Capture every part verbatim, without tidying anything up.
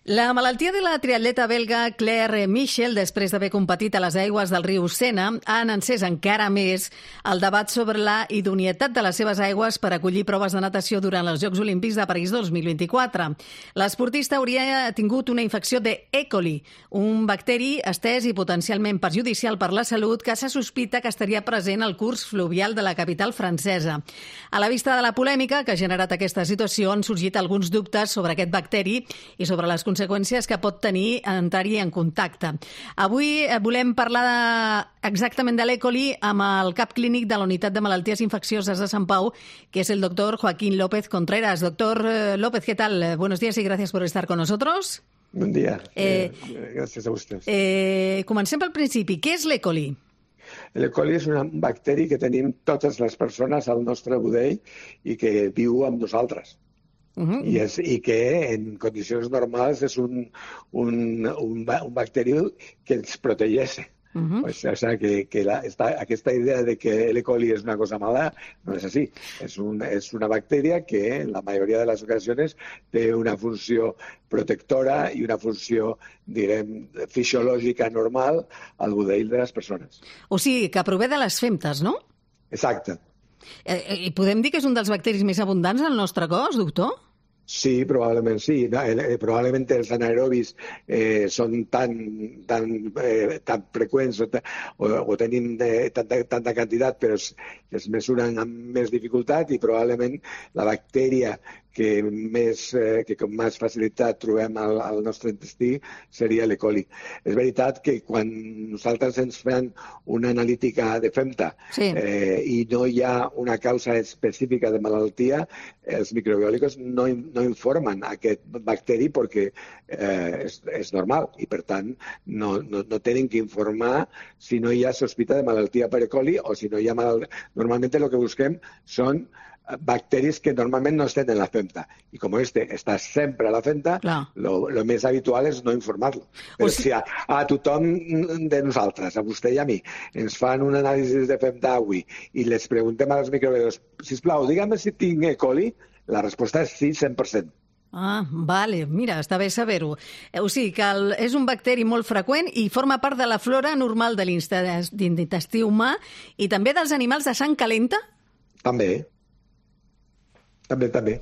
La malaltia de la triatleta belga Claire Michel, després d'haver competit a les aigües del riu Sena, han encès encara més el debat sobre la idoneïtat de les seves aigües per acollir proves de natació durant els Jocs Olímpics de París dos mil vint-i-quatre. L'esportista hauria tingut una infecció de E. coli, un bacteri estès i potencialment perjudicial per la salut que se sospita que estaria present al curs fluvial de la capital francesa. A la vista de la polèmica que ha generat aquesta situació, han sorgit alguns dubtes sobre aquest bacteri i sobre les conseqüències que pot tenir entrar-hi en contacte. Avui volem parlar de, exactament de l'E. coli amb el cap clínic de la Unitat de Malalties Infeccioses de Sant Pau, que es el doctor Joaquín López Contreras. Doctor López, ¿qué tal? Buenos días y gracias por estar con nosotros. Bon dia. Eh, eh, gràcies a vostès. Eh, comencem pel principi. Què és l'E. coli? L'E. coli és un bacteri que tenim totes les persones al nostre budell i que viu amb nosaltres. Uh-huh. I, és, I que en condicions normals és un, un, un, un bacteri que ens protegeix. Uh-huh. O sigui, que, que la, esta, aquesta idea de que l'E. coli és una cosa mala no és així. És, un, és una bactèria que en la majoria de les ocasions té una funció protectora i una funció, direm, fisiològica normal al budell de les persones. O sigui, que prové de les femtes, no? Exacte. Eh, I podem dir que és un dels bacteris més abundants al nostre cos, doctor? Sí, probablement sí. No, eh, probablement els anaerobis eh, són tan, tan, eh, tan freqüents o, o, o tenim eh, tanta, tanta quantitat, però es, es mesuren amb més dificultat i probablement la bactèria que més, eh, que com més facilitat trobem al, al nostre intestí seria l'E. coli. És veritat que quan nosaltres ens fem una analítica de femta sí. eh, i no hi ha una causa específica de malaltia, els microbiòlicos no, no informen aquest bacteri perquè eh, és, és normal i, per tant, no, no, no tenen que informar si no hi ha sospita de malaltia per E. coli o si no hi ha malaltia. Normalment el que busquem són bacteris que normalment no estan en la femta. I com este està sempre a la femta, el més habitual és no informar-lo. Però o si... si a, a tothom de nosaltres, a vostè i a mi, ens fan un anàlisi de femta avui i les preguntem als microbiòlegs, sisplau, digue'm si tinc E. coli, la resposta és sí, cent per cent. Ah, vale, mira, està bé saber-ho. O sigui que el, és un bacteri molt freqüent i forma part de la flora normal de l'intestí humà i també dels animals de sang calenta? També. També, també.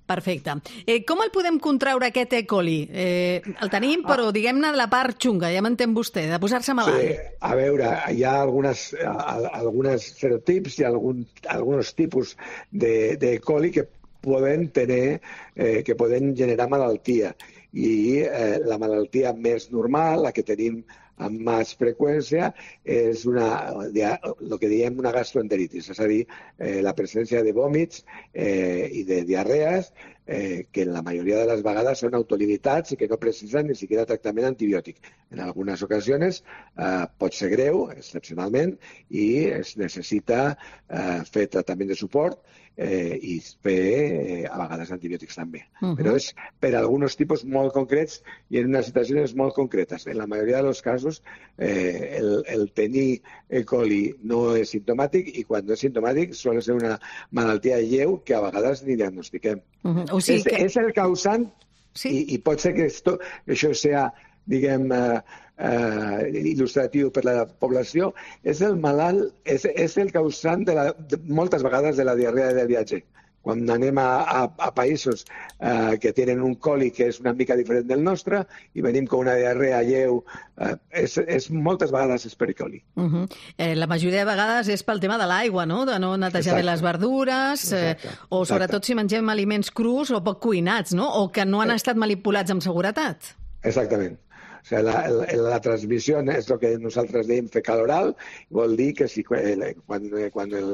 Perfecte. Eh, com el podem contraure, aquest E. coli? Eh, el tenim, però ah. diguem-ne de la part xunga, ja m'entén vostè, de posar-se malalt. Sí, a veure, hi ha algunes, algunes serotips i algun, alguns tipus de, de E. coli que poden tenir, eh, que poden generar malaltia. I eh, la malaltia més normal, la que tenim amb més freqüència, és una, el que diem una gastroenteritis, és a dir, eh, la presència de vòmits eh, i de diarrees eh, que en la majoria de les vegades són autolimitats i que no precisen ni siquiera tractament antibiòtic. En algunes ocasions eh, pot ser greu, excepcionalment, i es necessita eh, fer tractament de suport eh, i fer eh, a vegades antibiòtics també. Uh-huh. Però és per a alguns tipus molt concrets i en unes situacions molt concretes. En la majoria dels casos eh, el, el tenir E. coli no és simptomàtic i quan no és simptomàtic sol ser una malaltia lleu que a vegades ni diagnostiquem. Uh-huh. O sigui és, que... és el causant sí. i, i pot ser que esto, això sea, diguem, eh, eh, il·lustratiu per la població, és el malalt, és, és el causant de, la, de moltes vegades de la diarrea del viatge. Quan anem a, a, a països eh, que tenen un coli que és una mica diferent del nostre i venim com una diarrea lleu, eh, és, és moltes vegades és per E. coli. Uh-huh. eh, la majoria de vegades és pel tema de l'aigua, no? De no netejar bé les verdures, eh, o sobretot Exacte. Si mengem aliments crus o poc cuinats, no? O que no han estat manipulats amb seguretat. Exactament. O sigui, la, la, la transmissió és el que nosaltres dèiem fecal oral, vol dir que si quan, quan, el,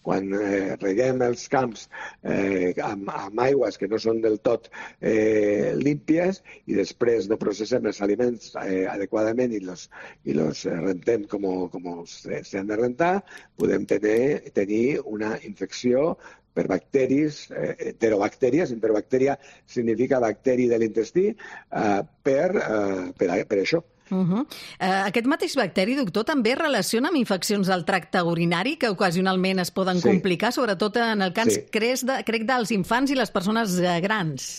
quan eh, reguem els camps eh, amb, amb aigües que no són del tot eh, límpies i després no processem els aliments eh, adequadament i els i los rentem com, com s'han de rentar, podem tenir, tenir una infecció per bacteris, eh, enterobactèries, enterobactèria significa bacteri de l'intestí, eh, per, eh, per, per això. Uh-huh. eh, aquest mateix bacteri, doctor, també es relaciona amb infeccions del tracte urinari que ocasionalment es poden sí. complicar, sobretot en el cas, sí. crec, de, crec, dels infants i les persones grans.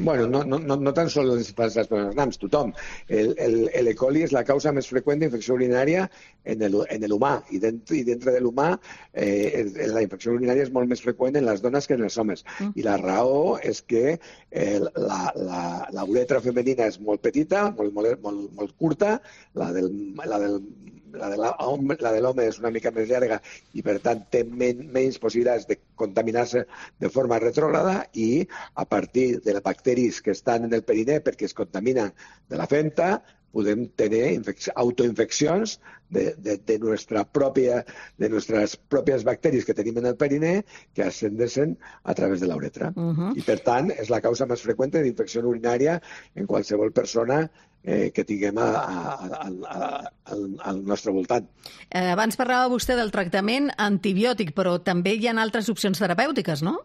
Bueno, no, no, no tan sols les persones grans, tothom. El, el, el E. coli és la causa més freqüent d'infecció urinària en el, en l'humà, i dintre, i dintre de l'humà eh, la infecció urinària és molt més freqüent en les dones que en els homes. Mm. I la raó és que eh, la, la, la uretra femenina és molt petita, molt, molt, molt, molt curta, la del, la del La de l'home és una mica més llarga i, per tant, té men menys possibilitats de contaminar-se de forma retrògrada, i a partir de les bacteris que estan en el perinè perquè es contaminen de la femta, podem tenir autoinfeccions de, de, de, nuestra propia, de nuestras propias bacteris que tenim en el perinè que ascendeixen a través de la uretra. Uh -huh. I, per tant, és la causa més freqüent d'infecció urinària en qualsevol persona eh, que tinguem a, a, a, a, al, al nostre voltant. Eh, abans parlava vostè del tractament antibiòtic, però també hi ha altres opcions terapèutiques, no?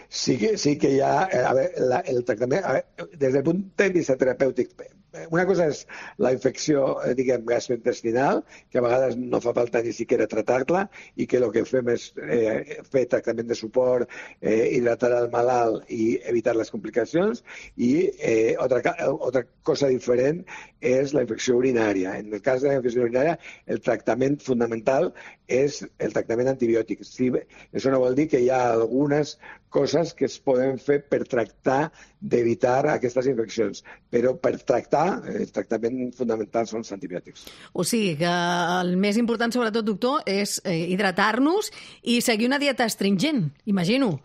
Sí que, sí que hi ha... A veure, la, el tractament... A veure, des del punt de vista terapèutic, una cosa és la infecció, diguem, gastrointestinal, que a vegades no fa falta ni siquiera tratar-la, i que el que fem és eh, fer tractament de suport, eh, hidratar el malalt i evitar les complicacions. I eh, otra, otra cosa diferent és la infecció urinària. En el cas de la infecció urinària, el tractament fundamental és el tractament antibiòtic. Sí, això no vol dir que hi ha algunes coses que es poden fer per tractar d'evitar aquestes infeccions, però per tractar, el tractament fundamental són els antibiòtics. O sigui que el més important, sobretot, doctor, és hidratar-nos i seguir una dieta astringent, imagino.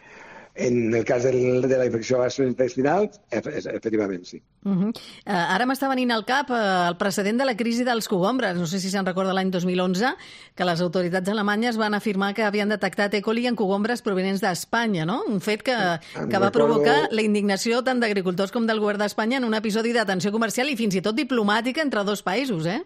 En el cas del, de la infecció gastrointestinal, efectivament, sí. Uh -huh. uh, ara m'està venint al cap uh, el precedent de la crisi dels cogombres. No sé si se'n recorda l'any dos mil onze, que les autoritats alemanyes van afirmar que havien detectat E. coli en cogombres provenents d'Espanya, no? Un fet que, que va provocar la indignació tant d'agricultors com del govern d'Espanya en un episodi de tensió comercial i fins i tot diplomàtica entre dos països, eh?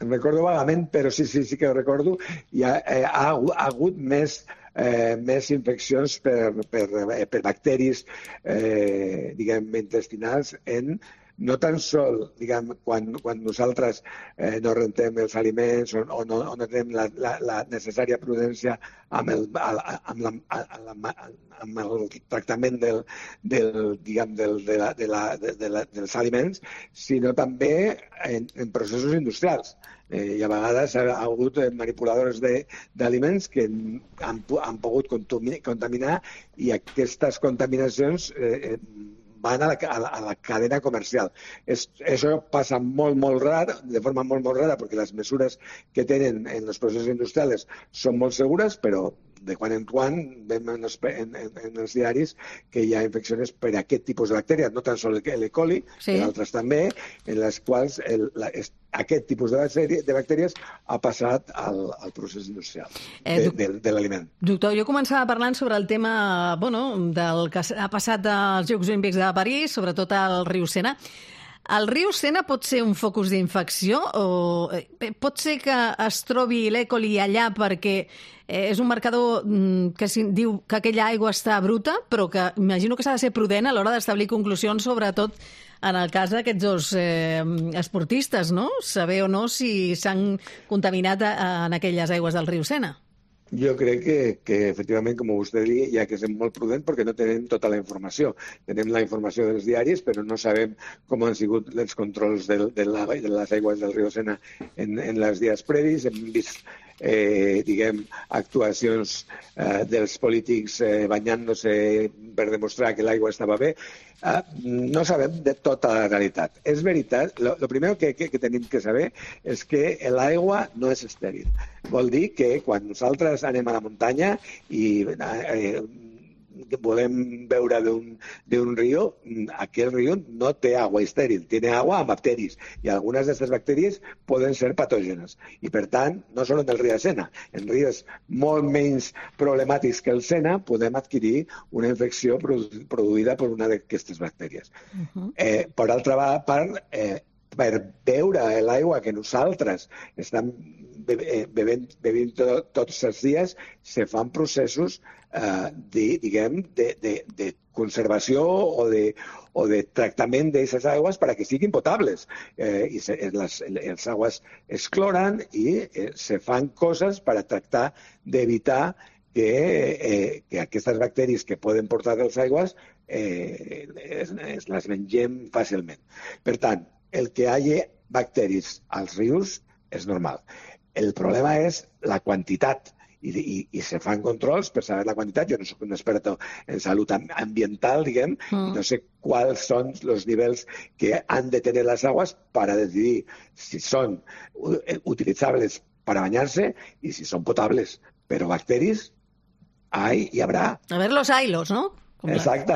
Em recordo vagament, però sí, sí, sí que ho recordo. Hi ha, eh, ha, ha hagut més... Eh, més infeccions per, per, per bacteris eh, diguem, intestinals en no tan sol, diguem, quan, quan nosaltres eh, no rentem els aliments o, o, no, o no tenim la, la, la necessària prudència amb el, amb la, amb la, amb el tractament del, del, diguem, del, de la, de la, de, de la, dels aliments, sinó també en, en processos industrials. Eh, I a vegades ha hagut manipuladors d'aliments que han, han pogut contaminar, i aquestes contaminacions eh, van a la, a, la, a la cadena comercial. Es, això passa molt, molt rar, de forma molt, molt rara, perquè les mesures que tenen en els processos industrials són molt segures, però de quan en quan veiem en els, en, en, en els diaris que hi ha infeccions per aquest tipus de bactèries, no tan sols el E. coli, sí, però altres també, en les quals el, la, aquest tipus de, bactèries, de bactèries ha passat al, al procés industrial eh, de, de, de l'aliment. Doctor, jo començava parlant sobre el tema bueno, del que ha passat als Jocs Olímpics de París, sobretot al riu Sena. El riu Sena pot ser un focus d'infecció o pot ser que es trobi l'E. coli allà perquè és un marcador que diu que aquella aigua està bruta, però que imagino que s'ha de ser prudent a l'hora d'establir conclusions, sobretot en el cas d'aquests dos eh, esportistes, no? Saber o no si s'han contaminat en aquelles aigües del riu Sena. Jo crec que, que efectivament, com vostè diu, hi ha que ser molt prudent perquè no tenim tota la informació. Tenim la informació dels diaris, però no sabem com han sigut els controls de, de, la, de les aigües del riu Sena en, en els dies previs. Hem vist eh, diguem, actuacions eh, dels polítics eh, banyant-se per demostrar que l'aigua estava bé. Uh, no sabem de tota la realitat. És veritat, lo, lo primer que, que, que tenim que saber és que l'aigua no és estèril. Vol dir que quan nosaltres anem a la muntanya i eh, volem beure d'un riu, aquell riu no té aigua estèril, té aigua amb bacteris, i algunes d'aquestes bacteris poden ser patògenes. I, per tant, no sols en el riu de Sena, en rius molt menys problemàtics que el Sena podem adquirir una infecció produïda per una d'aquestes bactèries. Uh-huh. eh, per altra part, eh, per beure l'aigua que nosaltres estem bevent, bevent tot, tots els dies, se fan processos eh, de, diguem, de, de, de conservació o de, o de tractament d'aquestes aigües perquè siguin potables. Eh, i se, les, les aigües es cloren i eh, se fan coses per a tractar d'evitar que, eh, que aquestes bacteris que poden portar les aigües eh, es, es, les mengem fàcilment. Per tant, el que hi hagi bacteris als rius és normal. El problema és la quantitat. I, i, i se fan controls per saber la quantitat. Jo no soc un experto en salut ambiental, diguem, mm. no sé quals són els nivells que han de tenir les aguas para decidir si són utilitzables para bañarse i si són potables. Però bacteris hay y habrá. A ver los ailos, ¿no? Exacte.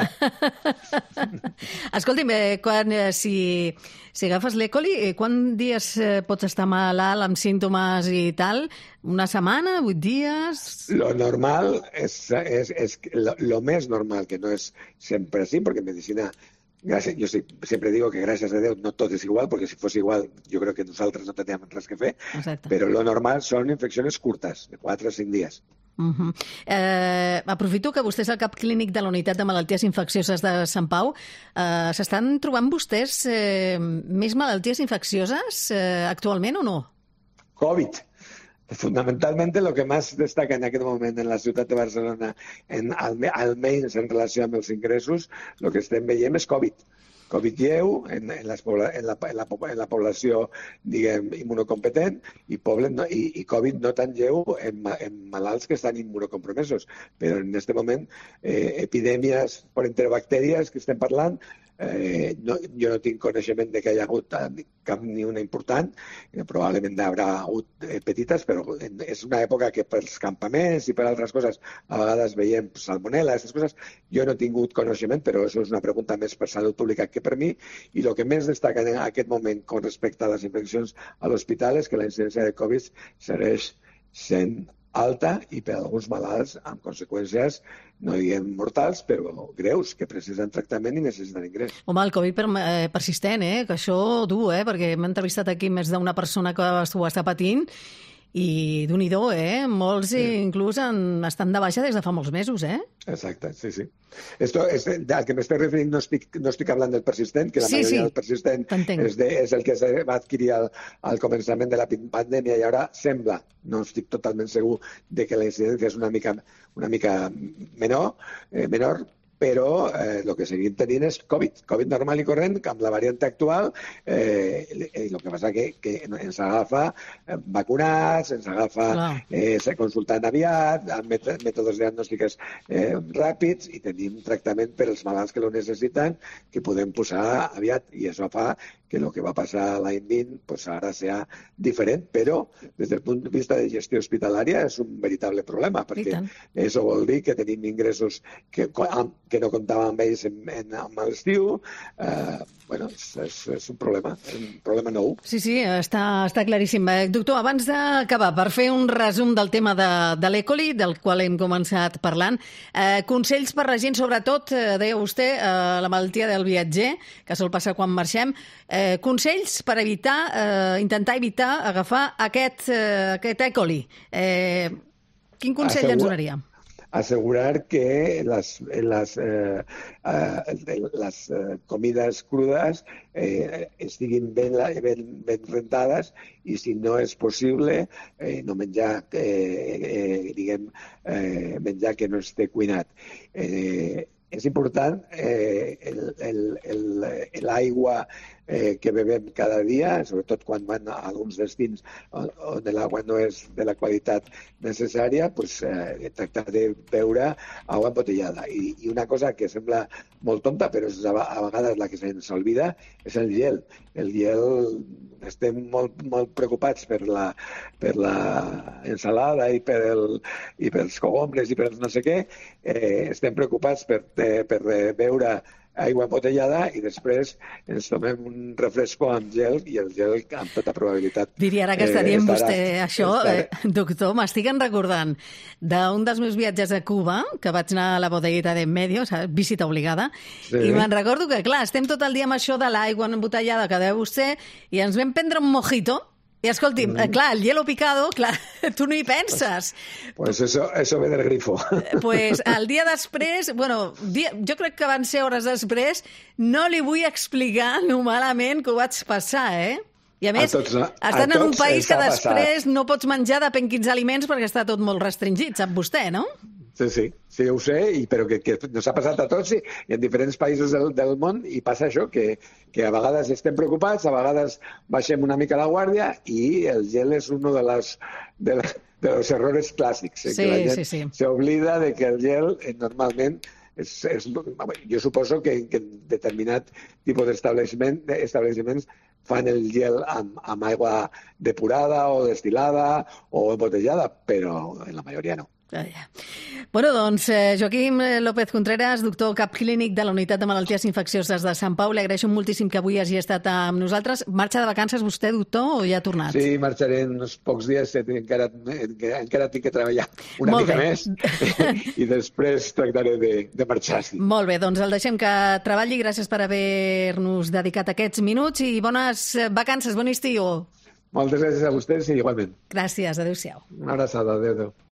Escolti'm, eh, quan, eh, si, si agafes l'E. coli, eh, quants dies eh, pots estar malalt amb símptomes i tal? Una setmana, vuit dies? Lo normal és, és, és lo, lo més normal, que no és sempre així, perquè en medicina, gracias, yo siempre digo que gracias a Dios no todo es igual, porque si fuese igual yo creo que nosotros no tendríamos res que fer. Exacte. Però lo normal són infeccions curtes, de quatre a cinc dies. Uh-huh. Eh, aprofito que vostè és el cap clínic de la Unitat de Malalties Infeccioses de Sant Pau. Eh, S'estan trobant vostès eh, més malalties infeccioses eh, actualment o no? Covid. Fundamentalmente lo que más destaca en aquest moment en la ciutat de Barcelona, en, almenys en relació amb els ingressos, el que estem veient és Covid. Covid lleu en, en, les, en, la, en, la, en la població, diguem, immunocompetent i, poble, no, i, i Covid no tan lleu en, en malalts que estan immunocompromesos. Però en aquest moment, eh, epidèmies per enterobactèries que estem parlant, Eh, no, jo no tinc coneixement de que hi ha hagut cap ni una important, eh, probablement hi haurà hagut eh, petites, però és una època que pels campaments i per altres coses a vegades veiem salmonella, aquestes coses. Jo no he tingut coneixement, però això és una pregunta més per salut pública que per mi, i el que més destaca en aquest moment con respecte a les infeccions a l'hospital és que la incidència de Covid segueix sent alta i per alguns malalts amb conseqüències, no diguem mortals, però greus, que precisen tractament i necessiten ingrés. Home, el Covid per, eh, persistent, eh? Que això dur, eh? Perquè m'he entrevistat aquí més d'una persona que ho està patint i d'un-i-do, eh? Molts sí. Inclús en, estan de baixa des de fa molts mesos, eh? Exacte, sí, sí. Esto es, al que m'estic referint no estic, no estic parlant del persistent, que la sí, majoria sí. del persistent és, de, és el que es va adquirir al, al començament de la pandèmia i ara sembla, no estic totalment segur, de que la incidència és una mica, una mica menor, eh, menor, però eh, el que seguim tenint és Covid, Covid normal i corrent, amb la variant actual, eh, el que passa que, que ens agafa vacunats, ens agafa eh, consultant aviat, amb mètodes diagnòstiques eh, ràpids i tenim tractament per als malalts que lo necessiten, que podem posar aviat, i això fa que el que va passar l'any vint pues ara sea diferent, però des del punt de vista de gestió hospitalària és un veritable problema, perquè això vol dir que tenim ingressos que, que no comptàvem amb ells en, en, en l'estiu. Eh, bueno, és, és, és un problema, és un problema nou. Sí, sí, està, està claríssim. Doctor, abans d'acabar, per fer un resum del tema de, de l'E. coli, del qual hem començat parlant, eh, consells per la gent, sobretot, eh, deia vostè, eh, la malaltia del viatger, que sol passar quan marxem, eh, consells per evitar, eh, intentar evitar agafar aquest, eh, aquest E. coli. Eh, quin consell Assegur... ens donaria? Asegurar que las, las, eh, eh, las eh, comidas crudas eh, estiguin ben, ben, ben rentades i si no és possible eh, no menjar, eh, eh, diguem, eh, menjar que no esté cuinat. Eh, és important eh, l'aigua eh, que bebem cada dia, sobretot quan van a alguns destins on, on l'aigua no és de la qualitat necessària, pues, eh, tractar de beure aigua embotellada. I, I una cosa que sembla molt tonta, però és a, a vegades la que se'ns olvida, és el gel. El gel, estem molt, molt preocupats per la, per la ensalada i, per el, i pels cogombres i per no sé què, eh, estem preocupats per, eh, per beure aigua embotellada i després ens tomem un refresco amb gel i el gel amb tota probabilitat... Diria ara que està dient eh, vostè això, eh, doctor, m'estic recordant d'un dels meus viatges a Cuba, que vaig anar a la bodeguita de Medio, visita obligada, sí. I me'n recordo que, clar, estem tot el dia amb això de l'aigua embotellada que deu vostè i ens vam prendre un mojito. I escolti, mm. clar, el hielo picado, clar, tu no hi penses. Pues eso, eso ve del grifo. Pues el dia després, bueno, dia, jo crec que van ser hores després, no li vull explicar lo malament que ho vaig passar, eh? I a més, a tots, a estan en un país que després passat. No pots menjar depèn quins aliments perquè està tot molt restringit, sap vostè, no? Sí, sí, sí, ho sé, i, però que, que nos ha passat a tots i, i en diferents països del, del món, i passa això, que, que a vegades estem preocupats, a vegades baixem una mica la guàrdia i el gel és un de les de, la, de los errores clàssics, eh, sí, que la gent sí, sí. s'oblida de que el gel eh, normalment és, és, jo suposo que, que en determinat tipus d'establishment establiments fan el gel amb, amb aigua depurada o destilada o embotellada, però en la majoria no. Ah, ja. Bueno, doncs, eh, Joaquim López Contreras, doctor cap clínic de la Unitat de Malalties Infeccioses de Sant Pau, li agraeixo moltíssim que avui hagi estat amb nosaltres. Marxa de vacances vostè, doctor, o ja ha tornat? Sí, marxaré en uns pocs dies, encara, encara tinc que treballar una Molt mica bé. més i després tractaré de, de marxar. Sí. Molt bé, doncs el deixem que treballi. Gràcies per haver-nos dedicat aquests minuts i bones vacances, bon estiu. Moltes gràcies a vostès i igualment. Gràcies, adéu-siau. Una abraçada, adéu, adéu.